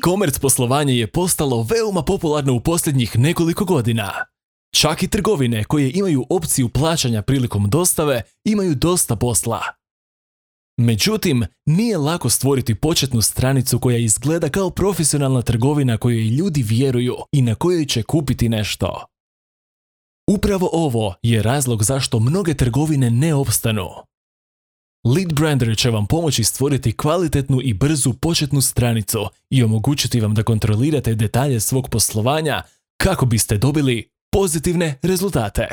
E-commerce poslovanje je postalo veoma popularno u posljednjih nekoliko godina. Čak i trgovine koje imaju opciju plaćanja prilikom dostave imaju dosta posla. Međutim, nije lako stvoriti početnu stranicu koja izgleda kao profesionalna trgovina kojoj ljudi vjeruju i na kojoj će kupiti nešto. Upravo ovo je razlog zašto mnoge trgovine ne opstanu. Leadbrander će vam pomoći stvoriti kvalitetnu i brzu početnu stranicu i omogućiti vam da kontrolirate detalje svog poslovanja kako biste dobili pozitivne rezultate.